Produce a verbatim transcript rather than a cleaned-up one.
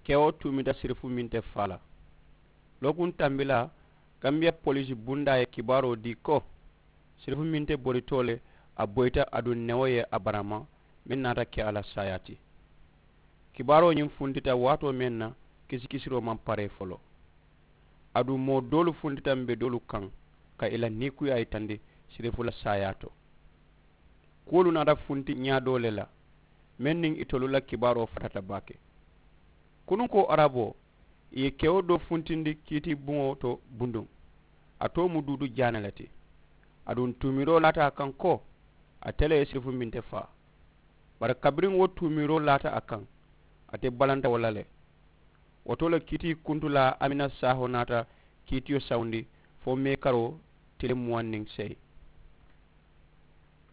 Kewo tuumita sirifu meŋ te faa la. Lookuŋ tambilaa, gambiya poliisi bundaa ye kibaaroo dii ko sirifu meŋ te boritoo le, a boyita aduŋ newo ye a barama meŋ naata ke a la saayaa ti. Kibaaroo ñiŋ funtita waatoo meŋ na, kisikisiroo maŋ paree foloo. Aduŋ moo doolu funtita mbe doolu kaŋ ka i la niikuyaa yitandi sirifu la saayaa to. Kuwolu naata funti ñaa doo le la meŋ niŋ itolu la kibaaroo fatata baake. Kununkoo araboo, ì ye kewo doo funtindi kiitibuŋo to bunduŋ. A too mu duudu jaana le ti. Aduŋ tuumiroo laata a kaŋ ko ate le ye sirifu minte faa. Bari kabiriŋ wo tuumiroo laata a kaŋ, ate balanta wo la le. Wo to le kiitii kuntulaa amina saaho naata kiitiyo sawundi fo meekaroo tili muwaŋ niŋ seyi.